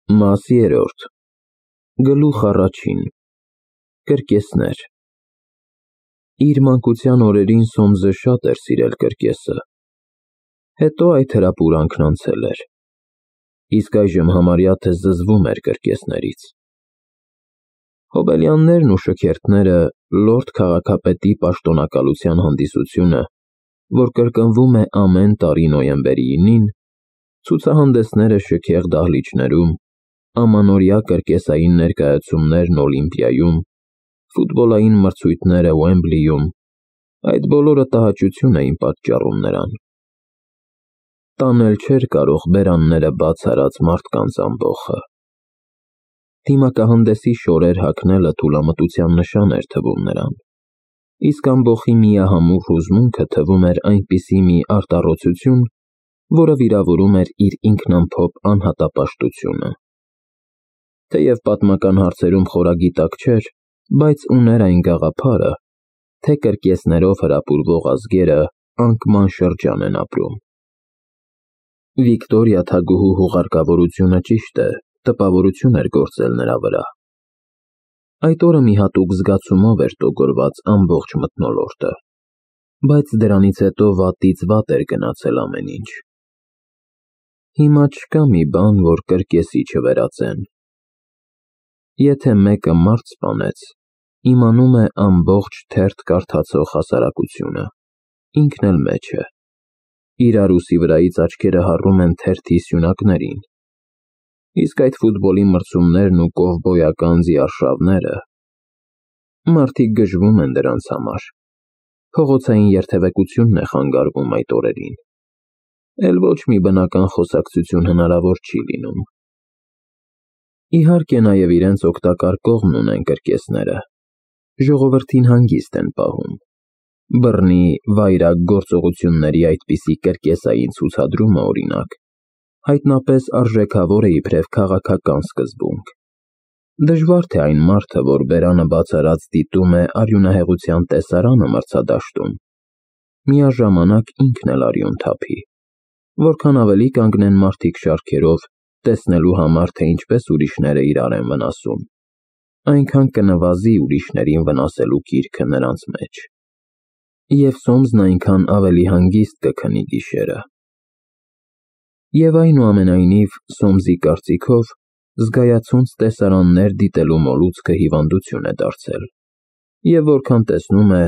Մաս երրորդ Գլուխ առաջին Կրկեսներ Իր մանկության օրերին Սոմսը շատ էր սիրել կրկեսը, հետո այդ հրապուրանքն անցել էր, իսկ այժմ համարյա թե զզվում էր կրկեսներից։ Հոբելյաններն ու շքերթները լորդ քաղաքապետի պաշտոնակալության հանդիսությունը, որ կրկնվում է ամեն տարի նոյեմբերի 9-ին, ցուցահանդեսները շքեղ դահլիճներում, ամանորյա կրկեսային ներկայացումներն Օլիմպիայում, ֆուտբոլային մրցույթները Ուեմբլիում, այդ բոլորը տհաճություն էին պատճառում նրան։ Տանել չէր կարող բերանները բաց արած մարդկանց ամբոխը։ Դիմակահանդեսի շորեր հագնելը թուլամտության նշան էր թվում նրան, իսկ ամբոխի միահամուռ հուզմունքը թվում էր այնպիսի մի արտառոցություն, որը վիրավորում էր իր ինքնամփոփ անհատապաշտությունը։ Թեև պատմական հարցերում խորագիտակ չէր, բայց ուներ այն գաղափարը, թե կրկեսներով հրապուրվող ազգերը անկման շրջան են ապրում։ Վիկտորիա թագուհու հուղարկավորությունը ճիշտ է, տպավորություն էր գործել նրա վրա։ Այդ օրը մի հատուկ զգացումով էր տոգորված ամբողջ մթնոլորտը, բայց դրանից հետո վատից վատ էր գնացել ամեն ինչ։ Հիմա չկա մի բան, որ կրկեսի չվերածեն։ Եթե մեկը մարդ սպանեց, իմանում է ամբողջ թերթ կարդացող հասարակությունը, ինքն էլ մեջ է։ Իրար ուսի վրայից աչքերը հառում են թերթի սյունակներին, իսկ այդ ֆուտբոլի մրցումներն ու կովբոյական ձիարշավները, մարդիկ գժվում են դրանց համար, փողոցային երթևեկությունն է խանգարվում այդ օրերին, էլ ոչ մի բնական խոսակցություն հնարավոր չի լինում։ Իհարկե նաև իրենց օգտակար կողմն ունեն կրկեսները, ժողովրդին հանգիստ են պահում։ Բռնի, վայրագ գործողությունների այդպիսի կրկեսային ցուցադրումը, օրինակ, հայտնապես արժեքավոր է իբրև քաղաքական սկզբունք։ Դժվար թե այն մարդը, որ բերանը բաց արած դիտում է արյունահեղության տեսարանը մրցադաշտում, միաժամանակ ինքն էլ արյուն թափի, որքան ավելի կանգնեն մարդիկ շարքերով, տեսնելու համար, թե ինչպես ուրիշները իրար են վնասում, այնքան կնվազի ուրիշներին վնասելու կիրքը նրանց մեջ, և Սոմսն այնքան ավելի հանգիստ կքնի գիշերը։ Եվ այնուամենայնիվ, Սոմսի կարծիքով, զգայացունց տեսարաններ դիտելու մոլուցքը հիվանդություն է դարձել, և որքան տեսնում է,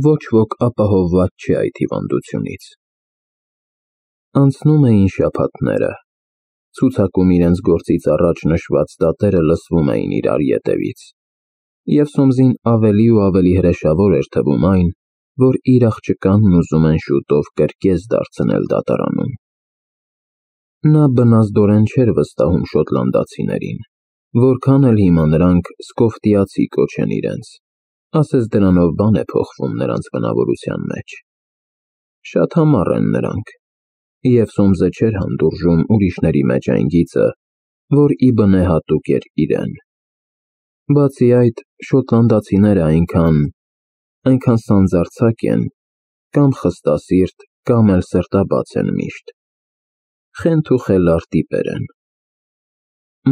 ոչ ոք ապահովված չէ այդ հիվանդությունից։ Անցնում էին շաբաթները, ցուցակում իրենց գործից առաջ նշված դատերը լսվում էին իրար ետևից, և Սոմսին ավելի ու ավելի հրեշավոր էր թվում այն, որ իր աղջկանն ուզում են շուտով կրկես դարձնել դատարանում։ Նա բնազդորեն չէր վստահում շոտլանդացիներին, որքան էլ հիմա նրանք սկոֆտիացի կոչեն իրենց, ասես դրանով բան է փոխվում նրանց բնավորության մեջ։ Շատ համառ են նրանք, և Սոմսը չէր հանդուրժում ուրիշների մեջ այն գիծը, որ ի բնե հատուկ էր իրեն։ Բացի այդ, շոտլանդացիները այնքան սանձարձակ են, կամ խստասիրտ, կամ էլ սրտաբաց են միշտ, խենթ ու խելառ տիպեր են։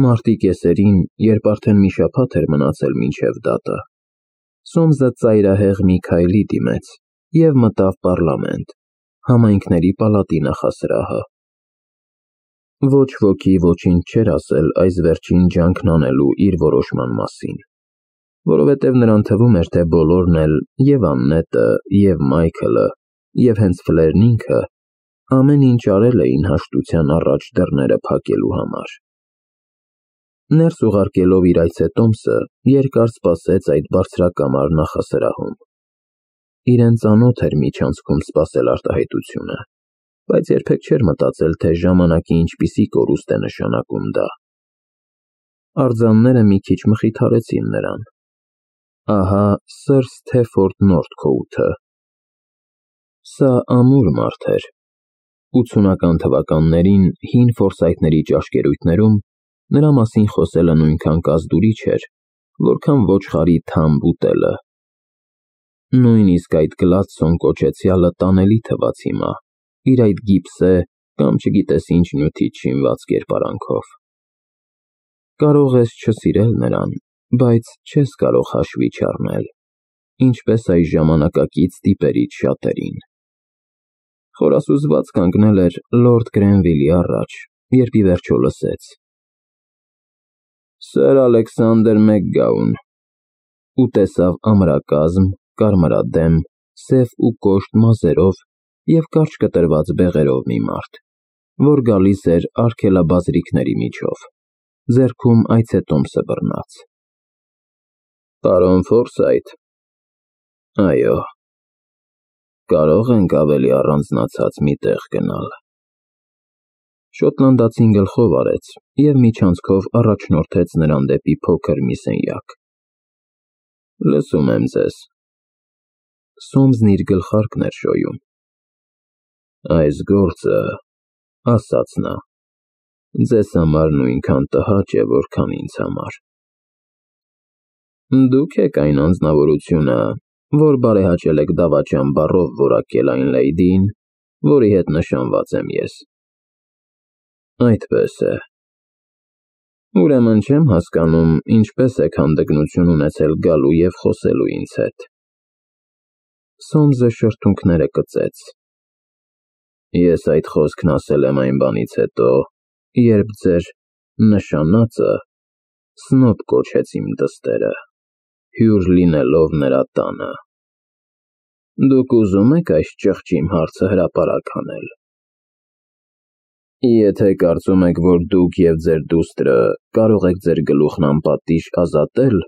Մարտի կեսերին, երբ արդեն մի շաբաթ էր մնացել մինչև դատը, Սոմսը ծայրահեղ մի քայլի դիմեց և մտավ պառլամենտ, համայնքների պալատի նախասրահը։ Ոչ ոքի ոչինչ չէր ասել այս վերջին ջանքն անելու իր որոշման մասին, որովհետև նրան թվում էր, թե բոլորն էլ, և Աննետը, և Մայքլը, և հենց Ֆլերն ինքը, ամեն ինչ արել էին հաշտության առաջ դռները փակելու համար։ Ներս ուղարկելով իր այցետոմսը, երկար սպասեց այդ բարձրակամար նախասրահում։ Իրեն ծանոթ էր միջանցքում սպասել արտահայտությունը, բայց երբեք չէր մտածել, թե ժամանակի ինչպիսի կորուստ է նշանակում դա։ Արձանները մի քիչ մխիթարեցին նրան։ Ահա սըր Սթեֆորդ Նորթքոութը։ Սա ամուր մարդ էր։ 80-ական թվականներին հին Ֆորսայթների ճաշկերույթներում նրա մասին խոսելը նույնքան կազդուրիչ էր, որքան ոչխարի թամբ ուտելը։ Նույնիսկ այդ Գլադսոն կոչեցյալը տանելի թվաց հիմա, իր այդ գիպսե կամ չգիտես ինչ նյութից շինված կերպարանքով։ Կարող ես չսիրել նրան, բայց չես կարող հաշվի չառնել, ինչպես այս ժամանակակից տիպերից շատերին։ Խորասուզված կանգնել էր լորդ Գրենվիլի առաջ, երբ ի վերջո լսեց. «Սեր Ալեքսանդր Մակգաուն», ու տեսավ ամրակազմ, կարմրադեմ, սև ու կոշտ մազերով և կարճ կտրված բեղերով մի մարդ, որ գալիս էր արգելաբազրիքների միջով, ձեռքում այցետոմսը բռնած։ «Պարոն Ֆորսայթ, այո, կարող ենք ավելի առանձնացած մի տեղ գնալ»։ Շոտլանդացին գլխով արեց և միջանցքով առաջնորդեց նրան դեպի փոքր մի սենյակ։ «Լսում եմ ձեզ»։ Սոմսն իր գլխարկն էր շոյում։ «Այս գործը, ֊ ասաց նա, ֊ ձեզ համար նույնքան տհաճ է, որքան ինձ համար։ Դուք եք այն անձնավորությունը, որ բարեհաճել եք դավաճան բառով որակել այն լեյդիին, որի հետ նշանված եմ ես։ Այդպես է։ Ուրեմն չեմ հասկանում, ինչպես եք հանդգնություն ունեցել գալու և խոսելու ինձ հետ։ Սոմսը շրթունքները կծեց։ Ես այդ խոսքն ասել եմ այն բանից հետո, երբ ձեր նշանածը Սնոբ կոչեց իմ դստերը, հյուր լինելով նրա տանը։ Դուք ուզում եք այս ճղճիմ հարցը հրապարակ անել։ Եթե կարծում եք, որ դուք և ձեր դուստրը կարող եք ձեր գլուխն անպատիժ ազատել,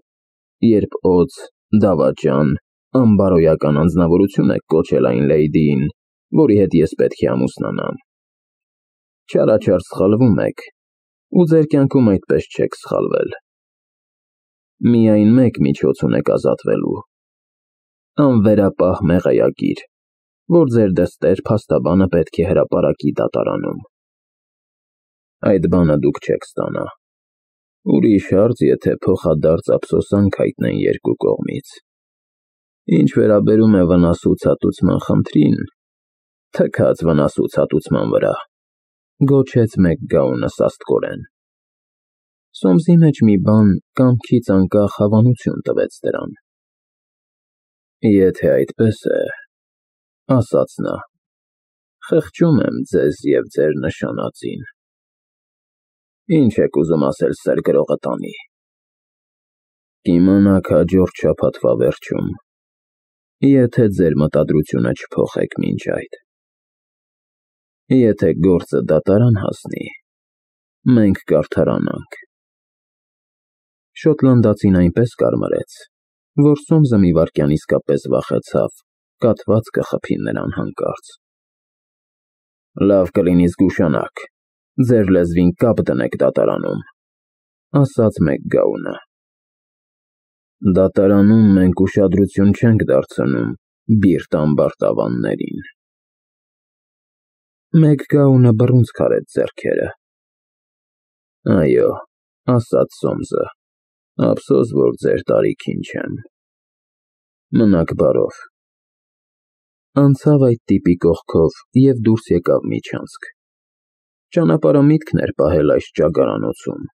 երբ օձ, դավաճան, անբարոյական անձնավորություն եք կոչել այն լեյդիին, որի հետ ես պետք է ամուսնանամ, չարաչար սխալվում եք, ու ձեր կյանքում այդպես չեք սխալվել։ Միայն մեկ միջոց ունեք ազատվելու. անվերապահ մեղեագիր, որ ձեր դստեր փաստաբանը պետք է հրապարակի դատարանում։ Այդ բանը դուք չեք ստանա։ Ուրիշ հարց, եթե փոխադարձ ափսոսանք հայտնեն երկու կողմից։ Ինչ վերաբերում է վնասուցածության խնդրին, թքած վնասուցածության վրա, գոչեց Մակգաունը սաստկորեն։ Սոմսի մեջ մի բան կամքից անկախ հավանություն տվեց դրան։ Եթե այդպես է, ասաց նա, խղճում եմ ձեզ և ձեր նշանածին։ Ինչ եք ուզում ասել սեր գրողը տանի։ Կիմանաք հաջորդ շաբաթվա վերջում, եթե ձեր մտադրությունը չփոխեք մինչ այդ։ Եթե գործը դատարան հասնի, մենք կարդարանանք։ Շոտլանդացին այնպես կարմրեց, որ Սոմսը մի վայրկյան իսկապես վախեցավ կաթված կխփի նրան հանկարծ։ Լավ կլինի զգուշանաք, ձեր լեզվին կապ դնեք դատարանում, ասաց Մակգաունը։ Դատարանում մենք ուշադրություն չենք դարձնում բիրտ ամբարտավաններին։ Մակգաունը բռունցք արեց ձեռքերը։ Այո, ասաց Սոմսը, ափսոս, որ ձեր տարիքին չեմ։ Մնաք բարով։ Անցավ այդ տիպի կողքով և դուրս եկավ միջանցք։ Ճանապարհամիտքն էր պահել այս ճագարանոցում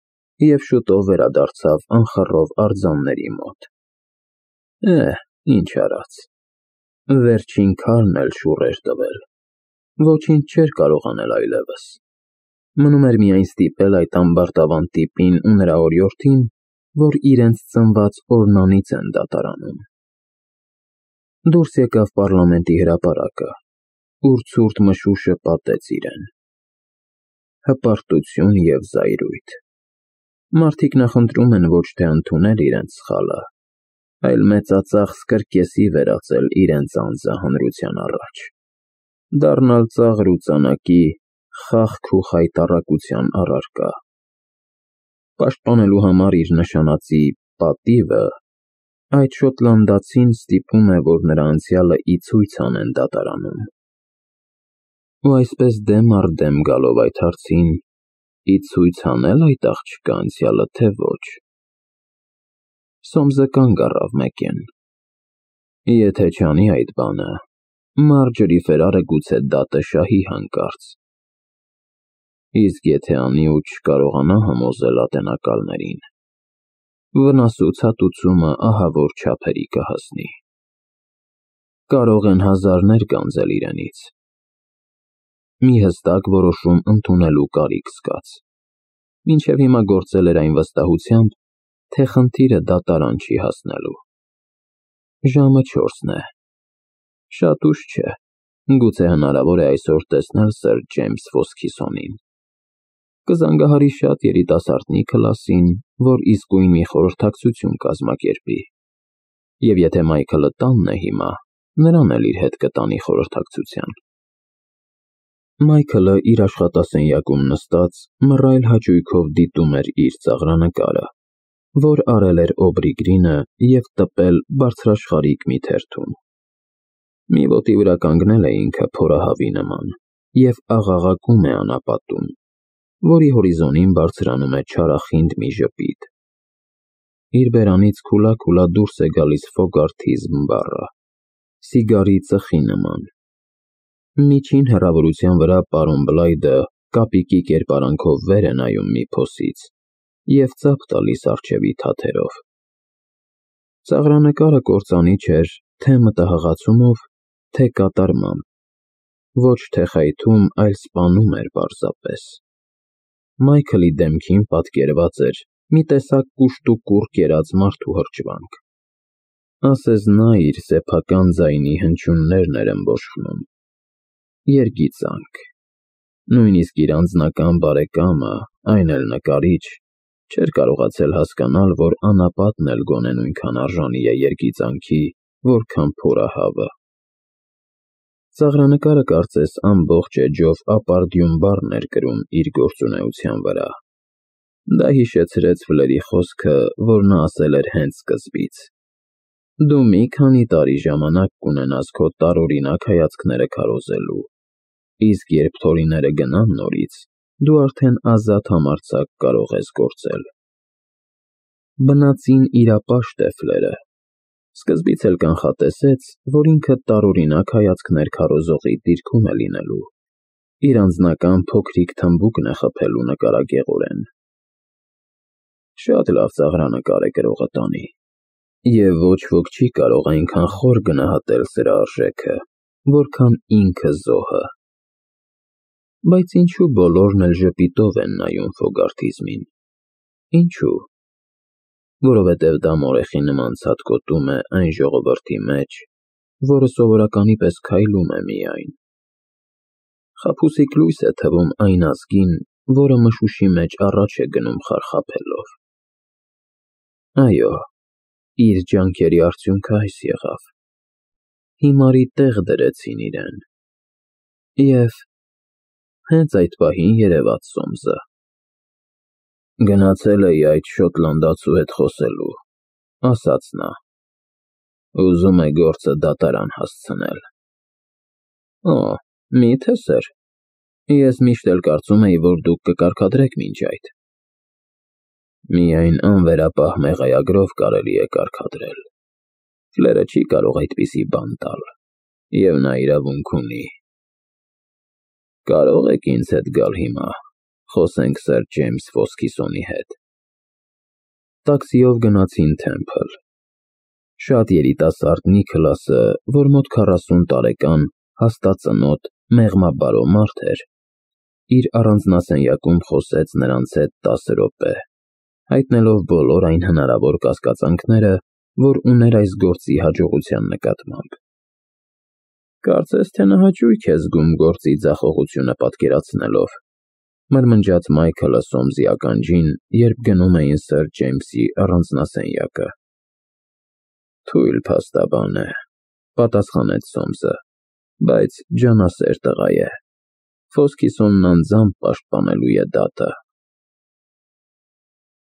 և շուտով վերադարձավ անխռով արձանների մոտ։ Ինչ արած։ Վերջին քարն էլ շուռ էր տվել։ Ոչինչ չէր կարող անել այլևս։ Մնում էր միայն ստիպել այդ ամբարտավան տիպին ու նրա օրիորդին, որ իրենց ծնված օրնանից են դատարանում։ Դուրս եկավ պառլամենտի հրապարակը, ուր ցուրտ մշուշը պատեց իրեն։ Հպարտություն և զայրույթ։ Մարդիկ նախընտրում են ոչ թե ընդունել իրենց սխալը, այլ մեծածախս կրկեսի վերածել իրենց անձը հանրության առաջ, դառնալ ծաղր ու ծանակի, խաղք ու խայտառակության առարկա։ Պաշտպանելու համար իր նշանածի պատիվը, այդ շոտլանդացին ստիպում է, որ նրա անցյալը ի ցույց անեն դատարանում։ Ու այսպես դեմ առ դեմ գալով այդ հարցին, ի ցույց հանե՞լ այդ աղջկա անցյալը, թե ոչ։ Սոմսը կանգ առավ մեկեն։ Եթե չանի այդ բանը, Մարջորի Ֆերարը գուցե դատը շահի հանկարծ։ Իսկ եթե անի ու չկարողանա համոզել ատենակալներին, վնասուցատուցումը ահավոր չափերի կհասնի։ Կարող են հազարներ գանձել իրենից։ Մի հստակ որոշում ընդունելու կարիք զգաց։ Մինչև հիմա գործել էր այն վստահությամբ, թե խնդիրը դատարան չի հասնելու։ Ժամը 4-ն է։ Շատ ուշ չէ, գուցե հնարավոր է այսօր տեսնել սըր Ջեյմս Ֆոսքիսոնին։ Կզանգահարի շատ երիտասարդնի քլասին, որ իսկույն մի խորհրդակցություն կազմակերպի։ Եվ եթե Մայքլը տանն է հիմա, նրան էլ իր հետ կտանի խորհրդակցության։ Մայքլը իր աշխատասենյակում նստած մռայլ հաճույքով դիտում էր իր ծաղրանկարը, որ արել էր Օբրի Գրինը և տպել բարձրաշխարհիկ մի թերթում։ Մի ոտի վրա կանգնել է ինքը փորահավի նման և աղաղակում է անապատում, որի հորիզոնին բարձրանում է չարախինդ մի ժպիտ։ Իր բերանից քուլա դուրս է գալիս Ֆոգարթի զմբառը, սիգարի ծխի նման։ Միջին հեռավորության վրա պարոն Բլայդը կապիկի կերպարանքով վեր է նայում մի փոսից և ծափ տալիս առջևի թաթերով։ Ծաղրանկարը կործանիչ էր թե մտահղացումով, թե կատարմամբ, ոչ թե խայթում, այլ սպանում էր պարզապես։ Մայքլի դեմքին պատկերված էր մի տեսակ կուշտ ու կուռ կերած մարդու հրճվանք։ Ասես նա իր սեփական ձայնի հնչյուններն էր ըմբոշխնում։ Երգիծանք։ Նույնիսկ իր անձնական բարեկամը, այն էլ նկարիչ, չէր կարողացել հասկանալ, որ անապատն էլ գոնե նույնքան արժանի է երգիծանքի, որքան փորահավը։ Ծաղրանկարը կարծես ամբողջ էջով ապարդյուն բառն էր կրում իր գործունեության վրա։ Դա հիշեցրեց Ֆլերի խոսքը, որ նա ասել էր հենց սկզբից. «Դու մի քանի տարի ժամանակ կունենաս քո տարօրինակ հայացքները քարոզելու, իսկ երբ թորիները գնան նորից, դու արդեն ազատ համարձակ կարող ես գործել»։ Բնածին իրապաշտ է Ֆլերը։ Սկզբից էլ կանխատեսեց, որ ինքը տարօրինակ հայացքներ քարոզողի դիրքում է լինելու, իր անձնական փոքրիկ թմբուկն է խփելու նկարագեղորեն։ Շատ լավ ծաղրանկար է գրողը տանի, և ոչ ոք չի կարող այնքան խոր գնահատել սրա արժեքը, որքան ինքը զոհը։ Բայց ինչու բոլորն էլ ժպիտով են նայում Ֆոգարթիզմին։ Ինչու։ Որովհետև դա մորեխի նման ցատկոտում է այն ժողովրդի մեջ, որը սովորականի պես քայլում է միայն։ Խաբուսիկ լույս է թվում այն ազգին, որը մշուշի մեջ առաջ է գնում խարխափելով։ Այո, իր ջանքերի արդյունքը այս եղավ։ Հիմարի տեղ դրեցին իրեն։ Եվ հենց այդ պահին երևաց Սոմսը։ Գնացել էի այդ շոտլանդացու հետ խոսելու, ասաց նա։ Ուզում է գործը դատարան հասցնել։ Օ, միթե սեր։ Ես միշտ էլ կարծում էի, որ դուք կկարգադրեք մինչ այդ։ Միայն անվերապահ մեղայագրով կարելի է կարգադրել։ Ֆլերը չի կարող այդպիսի բան տալ, և նա իրավունք ունի։ Կարող եք ինձ հետ գալ հիմա, խոսենք սըր Ջեյմս Ֆոսքիսոնի հետ։ Տաքսիով գնացին Թեմփլ։ Շատ երիտասարդ Նիքլասը, որ մոտ 40 տարեկան, հաստածնոտ, մեղմաբարո մարդ էր, իր առանձնասենյակում խոսեց նրանց հետ 10 րոպե, հայտնելով բոլոր այն հնարավոր կասկածանքները, որ ուներ այս գործի հաջողության նկատմամբ։ Կարծես թե նա հաճույք է զգում գործի ձախողությունը պատկերացնելով, մրմնջաց Մայքլը Սոմսի ականջին, երբ գնում էին սըր Ջեյմսի առանձնասենյակը։ Թույլ փաստաբան է, պատասխանեց Սոմսը, բայց ջանասեր տղա է։ Ֆոսքիսոնն անձամբ պաշտպանելու է դատը։